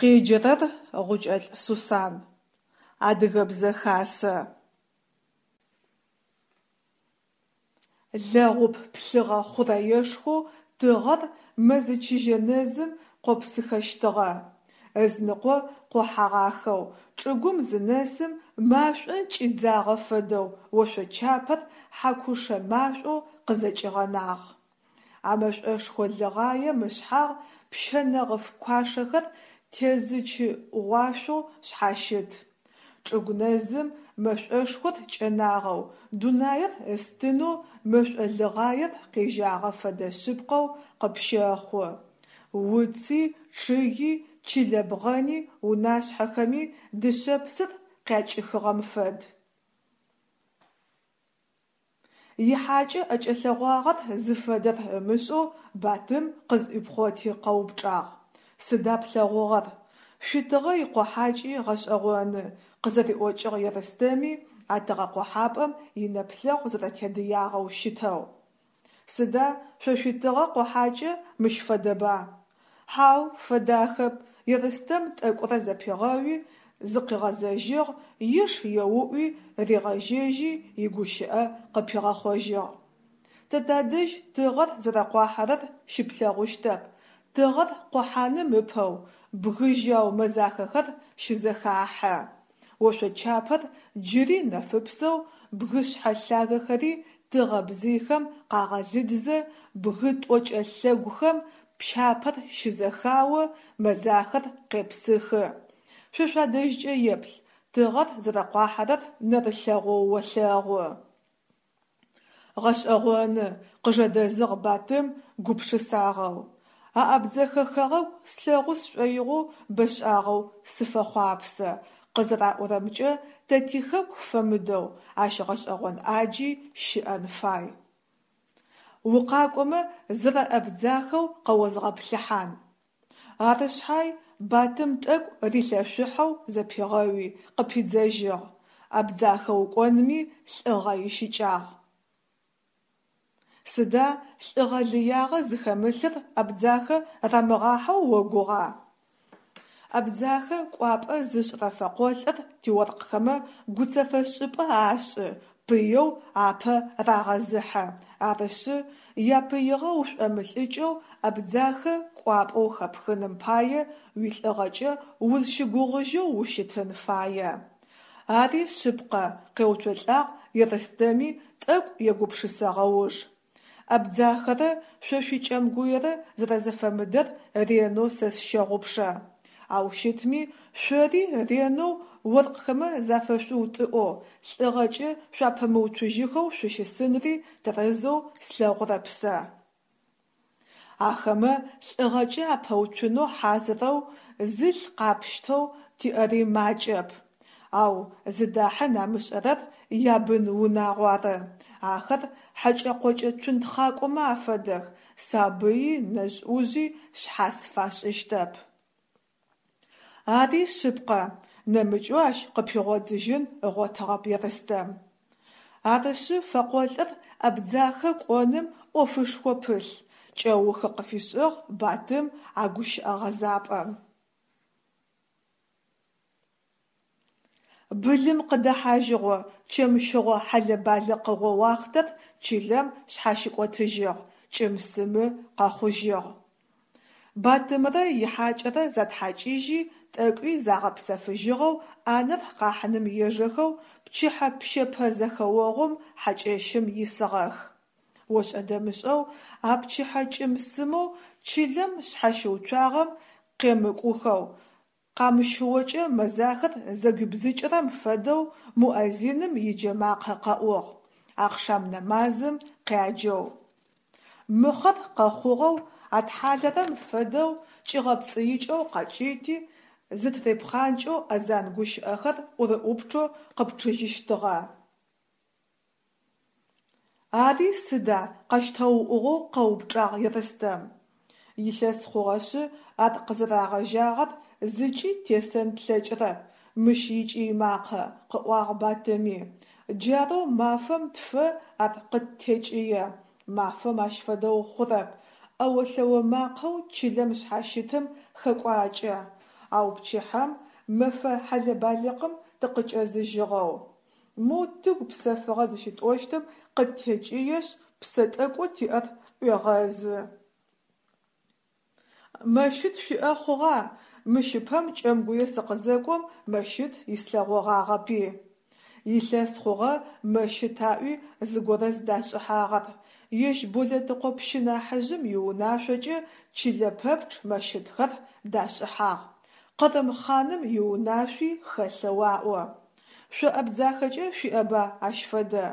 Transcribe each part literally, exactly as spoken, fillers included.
Къеджэрэр Гъукӏэлӏ Сусан. Адыгэ Хасэ. Лэгъуп плъыгъэ хъурэешхоу тыгъэр мэзы чыжьэ нэзым къопсыхэщтыгъэ. Ызыныкъо къохьэгъахэу, чӏыгум зынэсым машӏо кӏидзагъэ фэдэу ошъочапэр хьакушэ машӏоу къызэкӏигъэнагъ. А мэшӏошхо лыгъаем ышъхьагъ пщэ нэгъыф куашэхэр тезычы ӏугъуашъоу шъхьащыт. Чӏыгу нэзым мэшӏошхор кӏэнагъэу, дунаир ыстынэу мэшӏо лыгъаер къежьагъэ фэдэ шъыпкъэу къыпщэхъу. Уци, чъыги, чылэ бгъэни, унашъхьэхэми дышъэпсыр къякӏыхыгъэм фэд. Ихьакӏэ ӏэкӏэлъэгъуагъэр зыфэдэр ымышӏэу Батым къызӏуипхъоти къэупчӏагъ: «Сыда плъэгъугъэр? Шъуитыгъэ икъохьакӏи гъэшӏэгъоны», – къызэриӏокӏыгъ Ерстэми, а тыгъэкъохьапӏэм инэплъэгъу зэрэтедыягъэу щытэу. Сыда шъо шъуитыгъэ къохьакӏэ мыщ фэдэба? Хьау, фэдахэп, Ерстэм тӏэкӏурэ зэпигъэуи, зыкъигъэзэжьыгъ, иш еуӏуи ригъэжьэжьи, игущыӏэ къыпигъэхъожьыгъ: Тэ тадэжь тыгъэр зэрэкъуахьэрэр щыплъэгъущтэп, тыгъэр къохьаным ыпэу бгы жьау мэзахэхэр щызэхахьэ. Ошъочапэр джыри нэфыпсэу, бгышъхьэ лъагэхэри тыгъэ бзыйхэм къагъэлыдзэ, бгы тӏокӏэ лъэгухэм пщапэр щызэхао, мэзахэр къепсыхы. Шъо шъуадэжькӏэ еплъ, тыгъэр зэрэкъуахьэрэр нэрылъэгъоу олъэгъу. Гъэшӏэгъоны, къыжэдэзыгъ Батым гупшысагъэу. А Абдзэхэ хэгъэгу слъэгъу сшӏоигъоу бэшӏагъэу сыфэхъуапсэ, къызэраӏорэмкӏэ, тэ тихэку фэмыдэу ащ гъэшӏэгъон ӏаджи щыӏэн фай. Укъакӏомэ зэрэ Абдзахэу къэозгъэплъыхьан. Ары шъхьай, Батым тӏэкӏу рилъэшъухьэу зэпигъэуи, къыпидзэжьыгъ: Абдзахэ укӏонми лӏыгъэ ищыкӏагъ. Сыда лӏыгъэ лыягъэ зыхэмылъыр Абдзахэ рамыгъахьэу огугъа? Абдзахэ кӏуапӏэ зышӏырэ фэкъолӏыр тиоркъхэмэ гуцэфэшӏыпӏэ ашӏы, пыеу апэ рагъэзыхьэ, арышъы, япыигъэ ушӏомылӏыкӏэу Абдзахэ кӏуапӏэу хэпхыным пае уилӏыгъэкӏэ узщыгугъыжьэу ущытын фае. Ари шъыпкъэ, къеуцолӏагъ Ерстэми тӏэкӏу егупшысэгъэ уж. Абдзахэрэ шъо шъуи Кӏэмгуерэ зэрэзэфэмыдэр ренэу сэ сщэгъупшэ. Ау щытми, шъори ренэу оркъхэмэ зафэшъуутӏыӏоу, лӏыгъэкӏэ шъуапэмыуцужьхэу шъущысынри тэрэзэу слъэгъурэп сэ. Ахэмэ лӏыгъэкӏэ апэуцунэу хьазырэу, зылъ къапщтэу тиӏэри макӏэп. Ау зыдахьын амышӏэрэр ябын-унагъу ары. Ахэр хьэкӏэ-къокӏэ цунтхъакӏомэ афэдэх, сабыи нэжъ-ӏужъи шъхьас фашӏыщтэп. Ари шъыпкъэ, нэмыкӏэу ащ къыпигъодзыжьын ыгъотыгъэп Ерстэм. Арышъы, фэкъолӏыр Абдзахэ кӏоным ӏофышхо пылъ, кӏэухы къыфишӏыгъ Батым а гущыӏэ гъэзапӏэм. Былым къыдэхьажьыгъо, чэмщыгъо хьэлэ-балыкъыгъо уахътэр чылэм шъхьащыкӏотыжьыгъ, кӏым-сымы къэхъужьыгъ. Батымрэ ихьакӏэрэ затхьакӏыжьи, тӏэкӏуи загъэпсэфыжьыгъэу ӏанэр къахьыным ежэхэу пчыхьэ пщэпэ зэхэогъум хьакӏэщым исыгъэх. Ошӏэ-дэмышӏэу а пчыхьэ кӏым-сымэу чылэм шъхьащыуцуагъэм къемыкӏухэу, къамыщыокӏэ мэзахэр зэгуибзыкӏырэм фэдэу муэдзиным иджэмакъэ къэӏугъ, ахъшам нэмазым къяджэу. Мыхъэр къэхъугъэу атхьалэрэм фэдэу кӏигъэпцӏыикӏэу къэкӏыйти, зытырипхъанкӏэу азан гущыӏэхэр ӏурыӏупчъэу къыпчъыжьыщтыгъэ. Ари сыда? – къэщтэуӏугъэу къэупчӏагъ Ерстэм. Илъэс хъугъэшъы ар къызырагъэжьагъэр зыкӏи тесэн тлъэкӏырэп мыщ икӏый макъэ, къыӏуагъ Батыми. Джарэу мафэм тфэ ар къыттекӏые. Мафэм ащ фэдэу хъурэп, ӏэо-лъэо макъэу чылэм шъхьащытым хэкӏуакӏэ. Ау пчыхьэм, мэфэ хьэлэ-балыкъым тыкъыкӏэзыжьыгъэу, моу тыгу псэфыгъэ зыщытӏощтым къыттекӏыешъ, псэ тӏэкӏоу тиӏэр ӏуегъэзы. Мэщыт шъуиӏэ хъугъа? Мыщ ыпэм Кӏэмгуе сыкъызэкӏом мэщыт ислъэгъогъагъэпи. Илъэс хъугъэ мэщыт аӏуи зыгорэ зыдашӏыхьагъэр. Ежь Болэтыкъо пщы нахьыжъым иунашъокӏэ чылэ пэпчъ мэщытхэр дашӏыхьагъ. Къырым хъаным иунашъуи хэлъэу аӏо. Шъо Абдзахэкӏэ шъуиӏэба ащ фэдэ?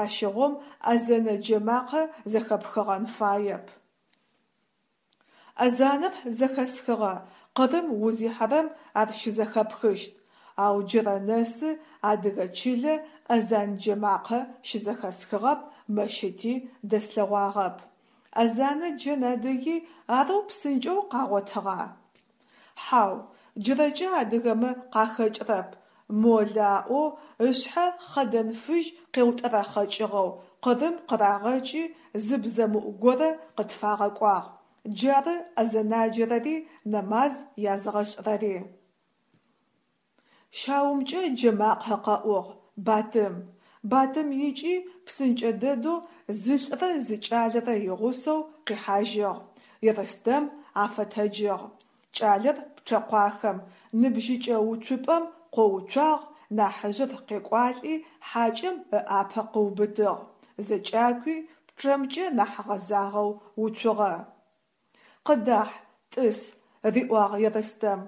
Ащыгъум азэнэ джэмакъэ зэхэпхыгъэн фаеп. Азанэр зэхэсхыгъэ, Къырым узихьэрэм ар щызэхэпхыщт, ау джырэ нэсы адыгэ чылэ азан джэмакъэ щызэхэсхыгъэп, мэщыти дэслъэгъуагъэп. Азанэ джэн адыги арэу псынкӏэу къагъотыгъа? Хьау, джырэкӏэ адыгэмэ къахэкӏрэп, молэ аӏоу ышъхьэ хъэдэн фыжь къеутӏэрэхъэкӏыгъэу Къырым къырагъэкӏи зы бзэмыӏу горэ къытфагъэкӏуагъ, джары азэнаджэрэри нэмаз язгъэшӏырэри. Щагумкӏэ джэмакъэ къэӏугъ: «Батым!» Батым икӏи, псынкӏэ дэдэу зы лӏырэ зы кӏалэрэ игъусэу къихьажьыгъ, Ерстэм афэтэджыгъ. Кӏалэр пчъэкъуахэм, ныбжьыкӏэ уцупӏэм къоуцуагъ, нахьыжъыр къекӏуалӏи хьакӏэм ыӏапэ къыубытыгъ, зэкӏакӏуи, пчъэмкӏэ нахь гъэзагъэу уцугъэ. «Къыдахь, тӏыс», – риӏуагъ Ерстэм,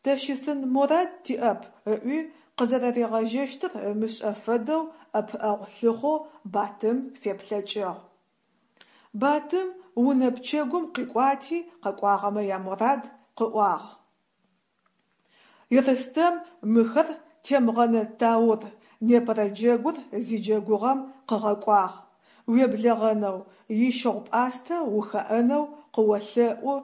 тэ щысын морад тиӏэп ыӏуи къызэрэригъэжьэщтыр ымышӏэ фэдэу ӏэпыӏэгъу лъыхъоу Батым феплъэкӏыгъ. Батым унэ пчэгум къикӏуати къэкӏуагъэмэ яморад къыӏуагъ. Ерстэм мыхэр Темгъэнэ Таур, непэрэ джэгур зиджэгугъэм къыгъэкӏуагъ. Уеблэгъэнэу, ищыгъу-пӏастэ ухэӏэнэу къыолъэӏу.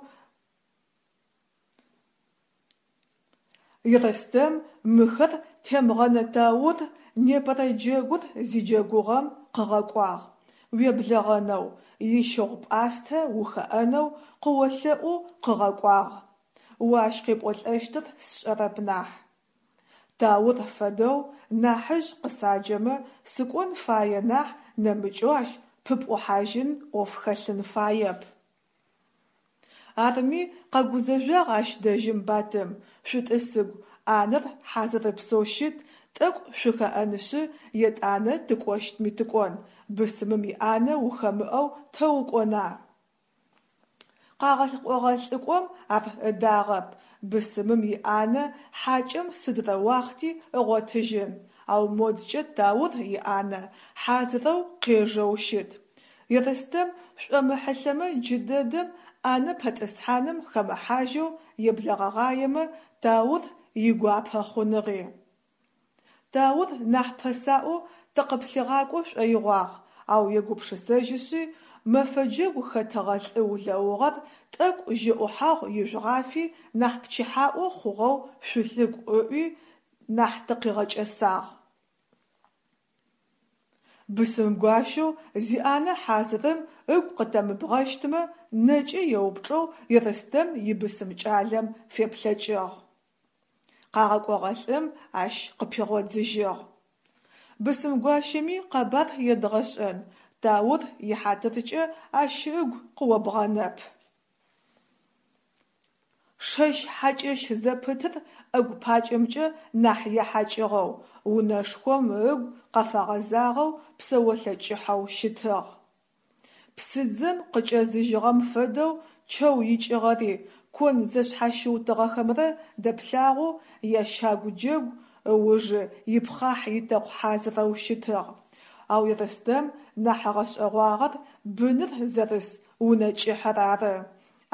Ерстэм мыхэр Темгъэнэ Таур, непэрэ джэгур зиджэгугъэм къыгъэкӏуагъ. Уеблэгъэнэу, ищыгъу-пӏастэ ухэӏэнэу къыолъэӏоу къыгъэкӏуагъ. О ащ къепӏолӏэщтыр сшӏэрэп нахь. Таур фэдэу нахьыжъ къысаджэмэ сыкӏон фае нахь нэмыкӏэу ащ пыпӏухьажьын ӏоф хэлъын фаеп. Арми, къэгузэжъуагъ ащ дэжьым Батым, шъутӏысыгу, ӏанэр хьазырыпсэу щыт, тӏэкӏу шъухэӏэнышъы етӏанэ тыкӏощтми тыкӏон, бысымым иӏанэ ухэмыӏэу тэ укӏона? Къагъэкӏогъэ лӏыкӏом ар ыдагъэп, бысымым иӏанэ хьакӏэм сыдрэ уахъти ыгъотыжьын, ау модкӏэ Таур иӏанэ хьазырэу къежэу щыт. Ерстэм шӏомыхьылъэмэ джыдэдэм ӏанэ пэтӏысхьаным хэмыхьажьэу еблэгъэгъаемэ Таур игуапэ хъуныгъи. Таур нахь пэсаӏоу тыкъыплъигъакӏо шӏоигъуагъ, ау егупшысэжьышъи, мэфэ джэгу хэтыгъэ лӏы улэугъэр тӏэкӏу жьыӏухьагъу ижъугъафи нахь пчыхьаӏо хъугъэу шъулъыкӏу ыӏуи, нахь тыкъигъэкӏэсагъ. Бысымгуащэу зиӏанэ хьазырым ыгу къытэмыбгъэщтмэ, нэкӏэ еупчӏэу Ерстэм ибысым кӏалэм феплъэкӏыгъ. Къагъэкӏогъэ лӏым ащ къыпигъодзыжьыгъ: Бысымгуащэми къэбар едгъэшӏэн, Таур ихьатыркӏэ ащ ыгу къыобгъэнэп. Шэщ хьакӏэщ зэпытыр ӏэгу пакӏэмкӏэ нахь ехьакӏыгъэу, унэшхом ыгу къафэгъэзагъэу псэолъэ кӏыхьэу щытыгъ. Псыдзэм къыкӏэзыжьыгъэм фэдэу чэу икӏыгъэри, кон зэшъхьащыутыгъэхэмрэ дэплъагъоу ящагу джэгу ыужы ипхъахь-итэкъу хьазырэу щытыгъ. Ау Ерстэм нахь ыгъэшӏэгъуагъэр быныр зэрыс унэ кӏыхьэр ары.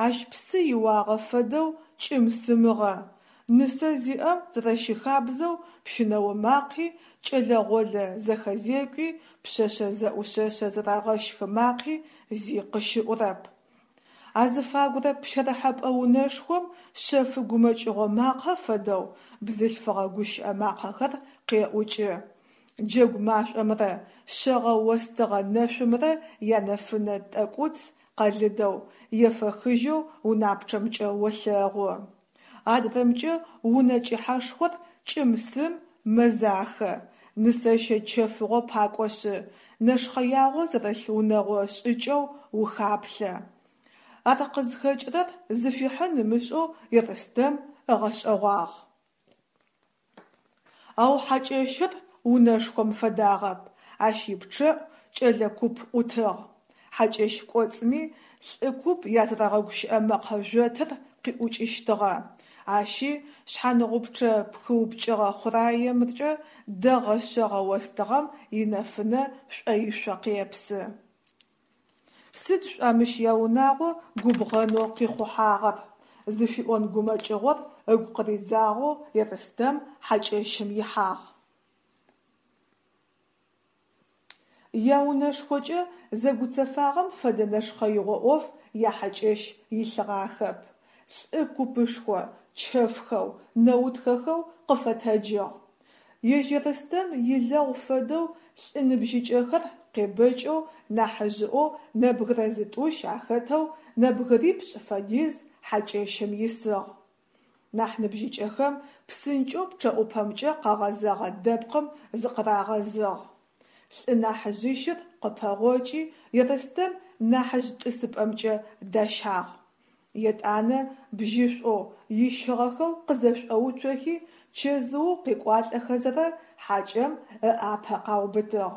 Ащ псы иуагъэ фэдэу кӏым-сымыгъэ. Нысэ зиӏэм зэрэщыхабзэу пщынэо макъи, кӏэлэ-гъолэ зэхэзекӏуи, пшъэшъэ зэӏушъэшъэ зэрэгъэщхы макъи зи къыщыӏурэп. Азыфагурэ пщэрыхьэпӏэ унэшхом шъэфы гумэкӏыгъо макъэ фэдэу бзылъфыгъэ гущыӏэ макъэхэр къеӏукӏы. Джэгу машӏомрэ шъэгъэ остыгъэ нэшъумрэ янэфынэ тӏэкӏуц къэлыдэу, ефэхыжьэу унапчъэмкӏэ олъэгъу. Адрэмкӏэ унэ кӏыхьэшхор кӏым-сым, мэзахэ, нысэщэ чэфыгъо пакӏошъы, нэшхъэягъо зэрылъ унэгъо шӏыкӏэу ухаплъэ. Ар къызхэкӏырэр зыфихьын ымышӏэу Ерстэм ыгъэшӏэгъуагъ. Ау хьакӏэщыр унэшхом фэдагъэп, ащ ипчъэӏу кӏэлэ куп ӏутыгъ. Хьакӏэщ кӏоцӏми лӏы куп язэрэгъэгущыӏэ мэкъэ жъотыр къиӏукӏыщтыгъэ. Ащи шъхьаныгъупчъэ пхыупкӏыгъэ хъураемкӏэ дэгъэ шъэгъэ остыгъэм инэфынэ шӏоишъо къепсы. Сыд шӏуа мыщ яунагъо губгъэнэу къихъухьагъэр? Зыфиӏон гумэкӏыгъор ыгу къыридзагъэу Ерстэм хьакӏэщым ихьагъ. Яунэшхокӏэ зэгуцэфагъэм фэдэ нэшхъэигъо ӏоф яхьакӏэщ илъыгъахэп. Лӏы купышхо, чэфхэу, нэутхэхэу къыфэтэджыгъ. Ежь Ерстэм илэгъу фэдэу лӏы ныбжьыкӏэхэр къебэкӏэу нахьыжъыӏоу нэбгырэ зытӏущ ахэтэу нэбгырипшӏ фэдиз хьакӏэщым исыгъ. Нахь ныбжьыкӏэхэм псынкӏэу пчъэӏупэмкӏэ къэгъэзэгъэ дэпкъым зыкъырагъэзыгъ. Лӏы нахьыжъищыр къыпэгъокӏи Ерстэм нахьыжъ тӏысыпӏэмкӏэ дащагъ. Етӏанэ бжьышӏоу, ищыгъэхэу къызэшӏоуцохи, чэзыоу къекӏуалӏэхэзэрэ хьакӏэм ыӏапэ къаубытыгъ.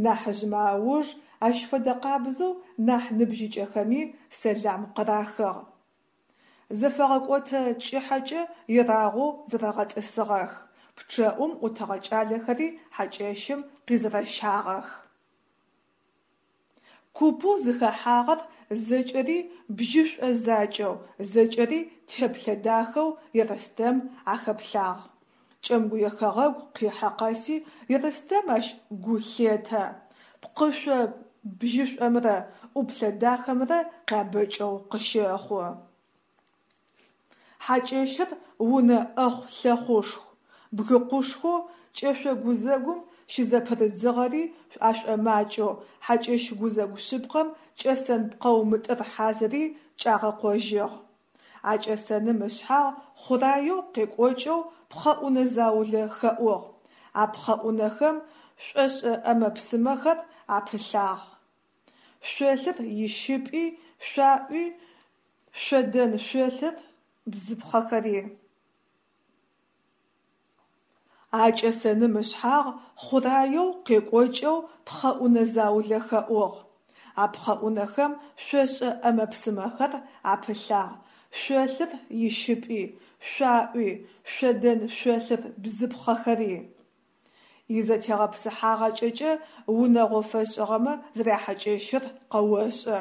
Нахьыжъмэ ауж ащ фэдэ къабзэу нахь ныбжьыкӏэхэми сэлам къырахыгъ. Зэфэгъэкӏотэ кӏыхьэкӏэ ерагъоу зэрэгъэтӏысыгъэх, пчъэӏум ӏутыгъэ кӏалэхэри хьакӏэщым къизэрэщагъэх. Купэу зыхэхьагъэр зэкӏэри бжьышӏо закӏэу, зэкӏэри теплъэ дахэу Ерстэм ахэплъагъ. Кӏэмгуе хэгъэгу къихьэ къэси Ерстэм ащ гу лъетэ, пкъышъо бжьышӏомрэ ӏуплъэ дахэмрэ къябэкӏэу къыщэхъу. Хьакӏэщыр унэ ӏэхъу-лъэхъушху, бгыкъушхоу кӏэшъо гузэгум щызэпырыдзыгъэри ашӏомакӏэу хьакӏэщ гузэгу шъыпкъэм кӏэсэн пкъэу мытӏыр хьазыри кӏагъэкъожьыгъ. А кӏэсэным ышъхьагъ хъураеу къекӏокӏэу пхъэӏунэ заулэ хэӏугъ, а пхъэӏунэхэм шӏошӏэ ӏэмэ-псымэхэр апылъагъ: шъолъыр ищыпӏи, шъуаӏуи, шъодэн шъолъыр бзыпхъэхэри. А кӏэсэным ышъхьагъ хъураеу къекӏокӏэу пхъэӏунэ заулэ хэӏугъ, а пхъэӏунэхэм шъошӏэ ӏэмэ-псымэхэр апылъагъ: шъолъыр ищыпӏи, шъуаӏуи, шъодэн шъолъыр бзыпхъэхэри. Изэтегъэпсыхьагъакӏэкӏэ унэгъо фэшӏыгъэмэ зэряхьакӏэщыр къэошӏэ.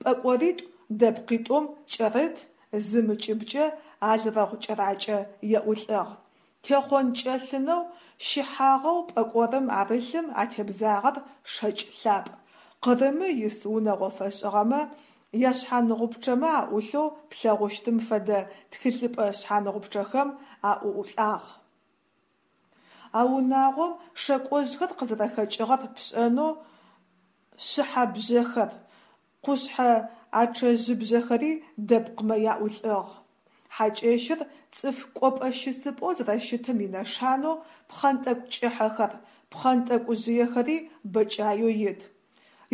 Пӏэкӏоритӏу дэпкъитӏум кӏэрыт, зым ыкӏыбкӏэ алрэгъу кӏэракӏэ еӏулӏыгъ. Техъон-кӏэлъынэу щыхьагъэу пӏэкӏорым арылъым атебзагъэр шэкӏ лъапӏ, Къырымы ис унэгъо фэшӏыгъэмэ яшъхьаныгъупчъэмэ аӏулъэу плъэгъущтым фэдэ тхылъыпӏэ шъхьаныгъупчъэхэм аӏуӏулӏагъ. А унагъом шэкӏожъхэр къызэрэхэкӏыгъэр пшӏэнэу шъыхьабжъэхэр, къушъхьэ ачъэжъыбжъэхэри дэпкъмэ яӏулӏыгъ. Хьакӏэщыр цӏыф кӏопӏэ-щысыпӏэу зэрэщытым инэшанэу пхъэнтӏэкӏу кӏыхьэхэр, пхъэнтӏэкӏужъыехэри бэкӏаеу ит.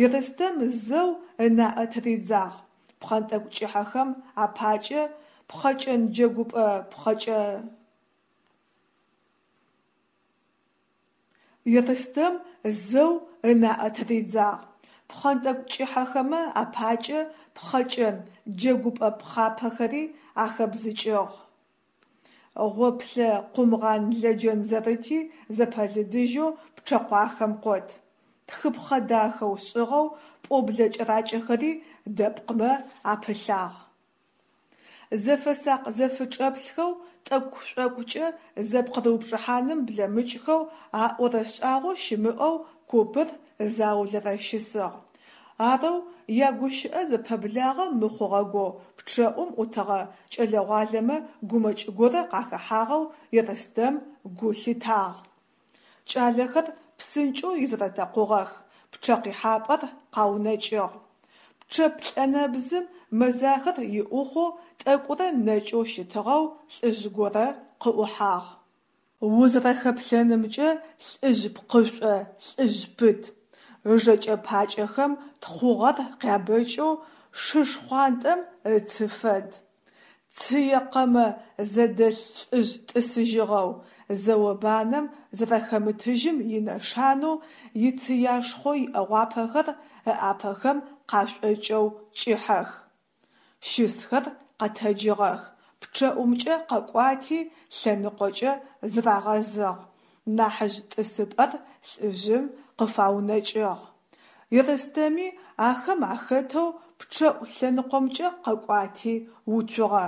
Ерстэм зэу ынаӏэ тыридзагъ: пхъэнтӏэкӏу кӏыхьэхэм апакӏэ пхъэкӏэн джэгупӏэ пхъэкӏэ. Ерстэм зэу ынаӏэ тыридзагъ: пхъэнтӏэкӏу кӏыхьэхэмэ апакӏэ пхъэкӏэн джэгупӏэ пхъапэхэри ахэбзыкӏыгъ. Гъоплъэ къумгъан-лэджэн зэрыти зэпэлыдыжьэу пчъэкъуахэм къот. Тхыпхъэ дахэу шӏыгъэу пӏоблэ кӏэракӏэхэри дэпкъмэ апылъагъ. Зэфэсакъ-зэфычӏэплъхэу, тӏэкӏу-шӏокӏукӏэ зэпкъырыупчӏыхьаным блэмыкӏхэу аӏорэ шӏагъо щымыӏэу купыр заулэрэ щысыгъ. Арэу ягущыӏэ зэпэблагъэ мыхъугъэгоу пчъэӏум ӏутыгъэ кӏэлэ-гъуалэмэ гумэкӏ горэ къахэхьагъэу Ерстэм гу лъитагъ. Кӏалэхэр псынкӏэу изэрэтэкъугъэх, пчъэ къихьапӏэр къаунэкӏыгъ. Пчъэ плӏэнэбзым мэзахэр иӏухъоу тӏэкӏурэ нэкӏэу щытыгъэу лӏыжъ горэ къыӏухьагъ. Узэрэхэплъэнымкӏэ лӏыжъ пкъышӏо, лӏыжъ пыт, ыжэкӏэ-пакӏэхэм тхъугъэр къябэкӏэу шы шхъуантӏэм ыцы фэд. Цые-къэмэ зэдэлъ лӏыжъ тӏысыжьыгъэу, зэо-банэм зэрэхэмытыжьым инэшанэу ицыяшхъо иӏэгъуапэхэр ыӏапэхэм къашӏокӏэу кӏыхьэх. Щысхэр къэтэджыгъэх, пчъэӏумкӏэ къэкӏуати лъэныкъокӏэ зырагъэзыгъ, нахьыжъ тӏысыпӏэр лӏыжъым къыфаунэкӏыгъ. Ерстэми ахэм ахэтэу пчъэӏу лъэныкъомкӏэ къэкӏуати уцугъэ.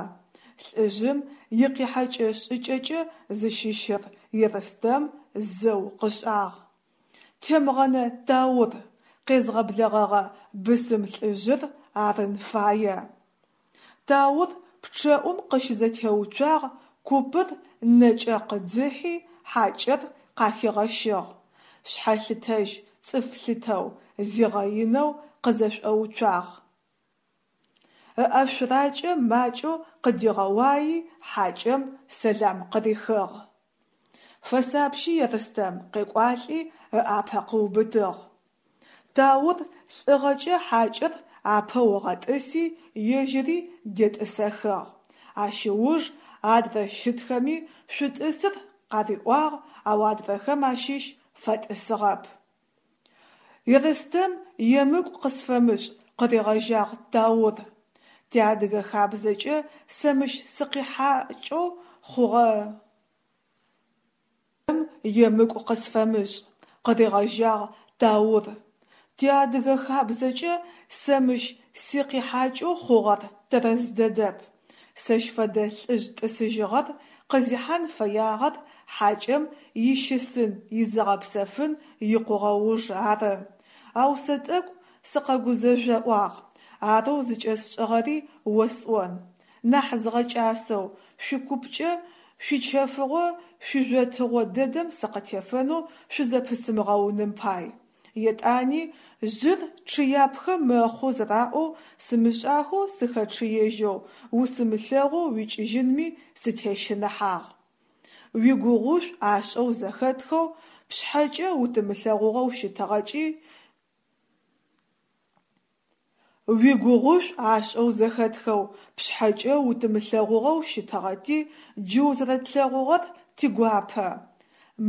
Лӏыжъым икъихьэкӏэ-шӏыкӏэкӏэ зыщыщыр Ерстэм зэу къышӏагъ. Темгъэнэ Таур, къезгъэблэгъэгъэ бысым лӏыжъыр арын фае. Таур пчъэӏум къыщызэтеуцуагъ, купыр нэкӏэ къыдзыхьи, хьакӏэр къахигъэщыгъ, шъхьэлъытэжь цӏыф лъытэу, зигъэинэу къызэшӏоуцуагъ. Ыӏэшъуракӏэ макӏэу къыдигъэуаи, хьакӏэм сэлам къырихыгъ. Фэсапщи, Ерстэм, къекӏуалӏи ыӏапэ къыубытыгъ. Таур лӏыгъэкӏэ хьакӏэр апэу ыгъэтӏыси, ежьыри детӏысэхыгъ, ащ ыуж адрэ щытхэми шъутӏысыр къариӏуагъ, ау адрэхэм ащыщ фэтӏысыгъэп. Ерстэм емыкӏу къысфэмышӏ, къыригъэжьагъ Таур. Тиадыгэ хабзэкӏэ сэ мыщ сыкъихьакӏэу хъугъэ. Емыкӏу къысфэмышӏ, къыригъэжьагъ Таур. Тиадыгэ хабзэкӏэ сэ мыщ сикъихьакӏэу хъугъэр тэрэз дэдэп. Сэщ фэдэ лӏыжъ тӏысыжьыгъэр къызихьан фэягъэр хьакӏэм ищысын-изыгъэпсэфын икъугъэ уж ары. Ау сэ тӏэкӏу сыкъэгузэжъоӏуагъ. Арэу зыкӏэсшӏыгъэри осӏон: нахь згъэкӏасэу, шъуикупкӏэ шъуичэфыгъо шъуижъотыгъо дэдэм сыкъытефэнэу шъузэпысымыгъэуным пай. Етӏани, жъыр чъыяпхэ мэхъу зэраӏоу, сымышӏахэу сыхэчъыежьэу, усымылъэгъоу уикӏыжьынми сытещыныхьагъ. Уигугъушӏу ашӏэу зэхэтхэу, пшъхьэкӏэ утымылъэгъугъэу щытыгъэкӏи Уигугъушӏу ашӏэу зэхэтхэу, пшъхьэкӏэ утымылъэгъугъэу щытыгъэти, джы узэрэтлъэгъугъэр тигуапэ.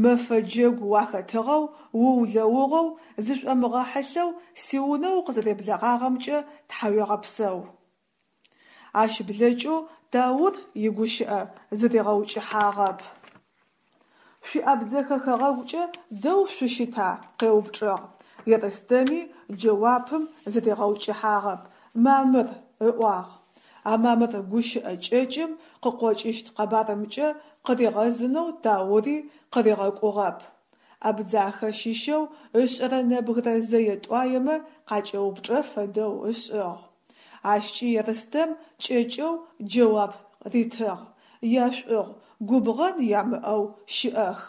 Мэфэ джэгу уахэтыгъэу, уулэугъэу, зышӏомыгъэхьылъэу сиунэ укъызэреблэгъагъэмкӏэ тхьауегъэпсэу. Ащ блэкӏэу Таур игущыӏэ зыригъэукӏыхьагъэп. Шъуи Абдзэхэ хэгъэгукӏэ дэу шъущыта? – къеупчӏыгъ. Ерстэми джэуапым зыригъэукӏыхьагъэп, мамыр, ыӏуагъ. А мамыр гущыӏэ кӏэкӏым къыкъокӏыщт къэбарымкӏэ къыригъэзынэу Таури къыригъэкӏугъэп. Абдзахэ щыщэу ышӏэрэ нэбгырэ зэе-тӏуаемэ къакӏэупчӏэ фэдэу ышӏыгъ. Ащкӏи Ерстэм кӏэкӏэу джэуап ритыгъ: яшӏугъу, губгъэн ямыӏэу щыӏэх.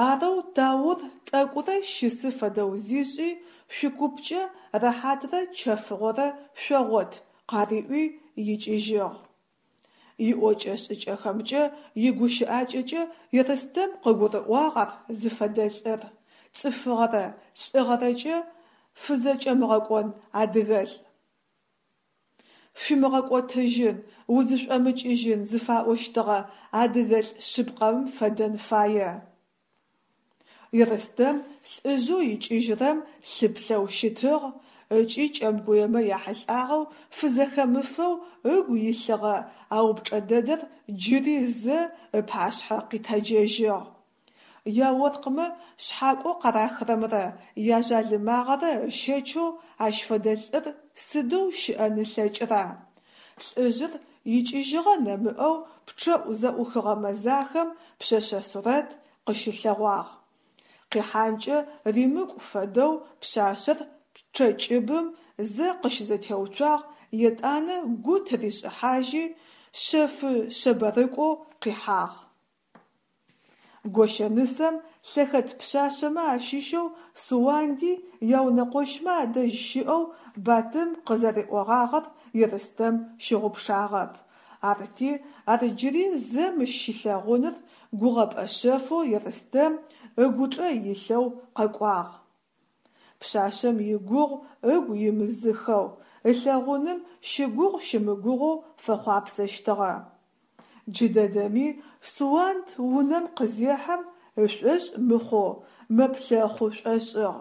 Арэу Таур тӏэкӏурэ щысы фэдэу зишӏи, шъуикупкӏэ рэхьатрэ чэфыгъорэ шъогъот къариӏуи икӏыжьыгъ. Иӏокӏэ-шӏыкӏэхэмкӏэ, игущыӏакӏэкӏэ Ерстэм къыгурыӏуагъ ар зыфэдэ лӏыр: цӏыфыгъэрэ лӏыгъэрэкӏэ фызэкӏэмыгъэкӏон адыгэлӏ. Фимыгъэкӏотыжьын, узышӏомыкӏыжьын зыфаӏощтыгъэ адыгэлӏ шъыпкъэм фэдэн фае. Ерстэм лӏыжъэу икӏыжьырэм лъыплъэу щытыгъ ыкӏи кӏэмгуемэ яхьылӏагъэу фызэхэмыфэу ыгу илъыгъэ а упчӏэ дэдэр джыри зэ ыпашъхьэ къитэджэжьыгъ. Яоркъмэ шъхьакӏоу къарахырэмрэ яжъалымагъэрэ ыщэчэу ащ фэдэ лӏыр сыдэу щыӏэн ылъэкӏыра? Лӏыжъыр икӏыжьыгъэ нэмыӏэу пчъэӏу зэӏухыгъэ мэзахэм пшъэшъэ сурэт къыщылъэгъуагъ. Къихьанкӏэ римыкӏу фэдэу пшъашъэр пчъэкӏыбым зэ къыщызэтеуцуагъ, етӏанэ гу тыришӏыхьажьи, шъэфы-шъэбэрыкӏоу къихьагъ. Гощэнысэм лъэхэт пшъашъэмэ ащыщэу Суанди яунэкъощмэ адэжь щыӏэу Батым къызэриӏогъагъэр Ерстэм щыгъупшагъэп. Арти ар джыри зэ мыщ щилъэгъуныр гугъэпӏэ шъэфэу Ерстэм ыгучӏэ илъэу къэкӏуагъ. Пшъашъэм игугъу ыгу имызыхэу, ылъэгъуным щыгугъ-щымыгугъэу фэхъуапсэщтыгъэ. Джыдэдэми Суанд унэм къызехьэм ышӏошъ мыхъоу мэплъэхъу шӏошӏыгъ.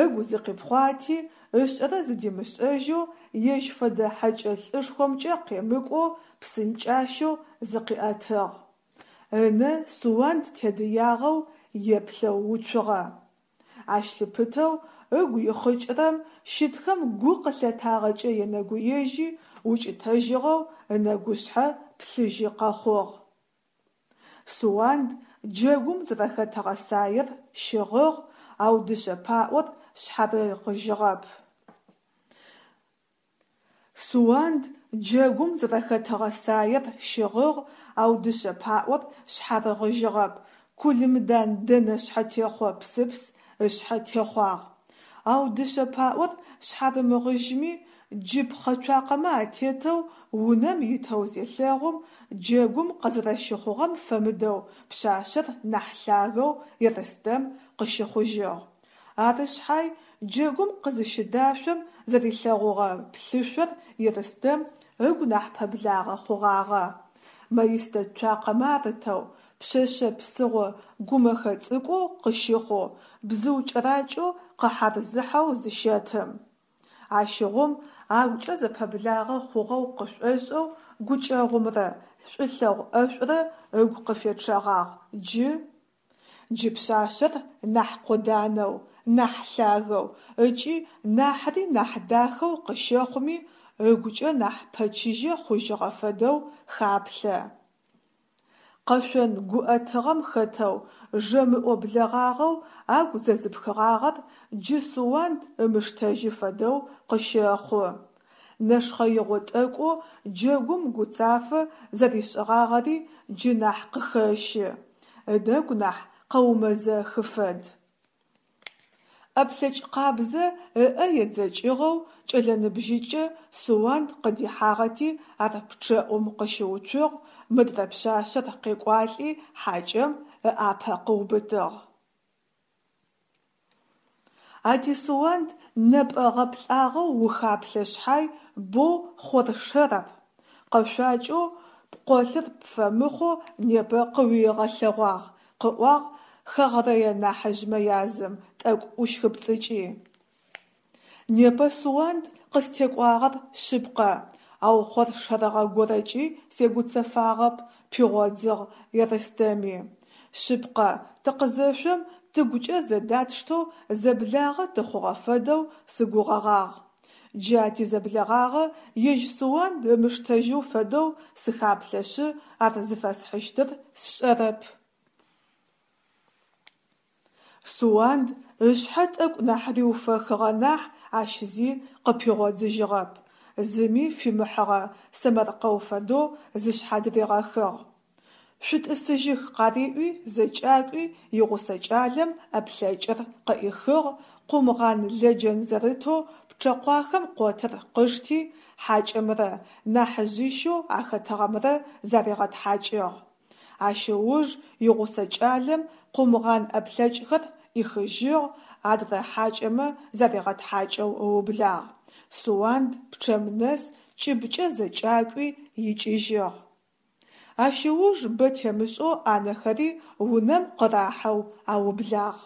Ыгу зыкъипхъуати, ышӏэрэ зыдимышӏэжьэу, ежь фэдэ хьэкӏэ лӏышхомкӏэ къемыкӏоу псынкӏащэу зыкъиӏэтыгъ. Ынэ Суанд тедыягъэу еплъэу уцугъэ. Ащ лъыпытэу ыгу ихъыкӏырэм щытхэм гу къылъатагъэкӏэ енэгуежьи, укӏытэжьыгъэу ынэгушъхьэ плъыжьы къэхъугъ. Суанд джэгум зэрэхэтыгъэ саер щыгъыгъ, ау дышъэ паӏор шъхьарыгъыжьыгъэп. Суанд джэгум зэрэхэтыгъэ саер щыгъыгъ, ау дышъэ паӏор шъхьарыгъыжьыгъэп, кулымдан дэнэ шъхьэтехъо псыпс ышъхьэ техъуагъ. Ау дышъэ паӏор шъхьарымыгъыжьми, джы пхъэ цуакъэмэ атетэу унэм итэу зелъэгъум, джэгум къызэрэщыхъугъэм фэмыдэу пшъашъэр нахь лъагэу Ерстэм къыщыхъужьыгъ. Ары шъхьай джэгум къызыщыдашъом зэрилъэгъугъэ плъышъор Ерстэм ыгу нахь пэблагъэ хъугъагъэ. Маистэ цуакъэмэ арытэу, пшъэшъэ псыгъо гумэхэ цӏыкӏоу къыщыхъоу, бзыу кӏэракӏэу къэхьарзыхьэу зыщэтым. Ащыгъум агукӏэ зэпэблагъэ хъугъэу къышӏошӏэу гукӏэгъумрэ шӏулъэгъу ӏэшӏурэ ыгу къыфечъэгъагъ, джы. Джы пшъашъэр нахь къоданэу, нахь лъагэу ыкӏи нахьыри нахь дахэу къыщэхъуми, ыгукӏэ нахь пэчыжьэ хъужьыгъэ фэдэу хаплъэ. Къэшъон гуӏэтыгъэм хэтэу жэмыӏо блэгъагъэу агу зэзыпхыгъагъэр джы Суанд ымыштэжьы фэдэу къыщэхъу. Нэшхъэигъо тӏэкӏоу джэгум гуцафэ зэришӏыгъагъэри джы нахь къыхэщы, ынэгу нахь къэумэзэхы фэд. ӏэплъэкӏ къабзэ ыӏэ едзэкӏыгъэу кӏэлэ ныбжьыкӏэ Суанд къыдихьагъэти ар пчъэӏум къыщыуцугъ, мыдрэ пшъашъэр къекӏуалӏи хьакӏэм ыӏапэ къыубытыгъ. А ти Суанд нэпӏэ гъэплӏагъэу ухаплъэ шъхьай боу хъоршэр ар, къэшъуакӏэу пкъолъыр пфэмыхъоу непэ къыуигъэлъэгъуагъ, къыӏуагъ хэгърэе нахьыжъмэ язым, тӏэкӏу ӏущхыпцӏыкӏи. Непэ Суанд къыстекӏуагъэр шъыпкъэ, ау хъоршэрыгъэ горэкӏи сегуцэфагъэп, пигъодзыгъ Ерстэми. Шъыпкъэ, тыкъызэшъом тыгукӏэ зэдатштэу зэблагъэ тыхъугъэ фэдэу сыгугъэгъагъ. Джа тизэблэгъагъэ ежь Суанд ымыштэжьэу фэдэу сыхаплъэшъы ар зыфэсхьыщтыр сшӏэрэп. Суанд ышъхьэ тӏэкӏу нахь риуфэхыгъэ нахь ащ зи къыпигъодзыжьыгъэп, зыми фимыхьыгъэ сэмэркъэу фэдэу зышъхьадыригъэхыгъ. Шъутӏысыжьых къариӏуи зэкӏакӏуи игъусэ кӏалэм ӏэплъэкӏыр къыӏихыгъ, къумгъан-лэджэн зэрытэу пчъэкъуахэм къотыр къышти, хьакӏэмрэ нахьыжъищэу ахэтыгъэмрэ заригъэтхьакӏыгъ. Ащ ыуж игъусэ кӏалэм къумгъан ӏэплъэкӏхэр ӏихыжьыгъ, адрэ хьакӏэмэ заригъэтхьакӏэу ыублагъ. Суанд пчъэм нэс кӏыбкӏэ зэкӏакӏуи икӏыжьыгъ. Ащ ыуж бэ темышӏэу ӏанэхэри унэм къырахьэу аублагъ.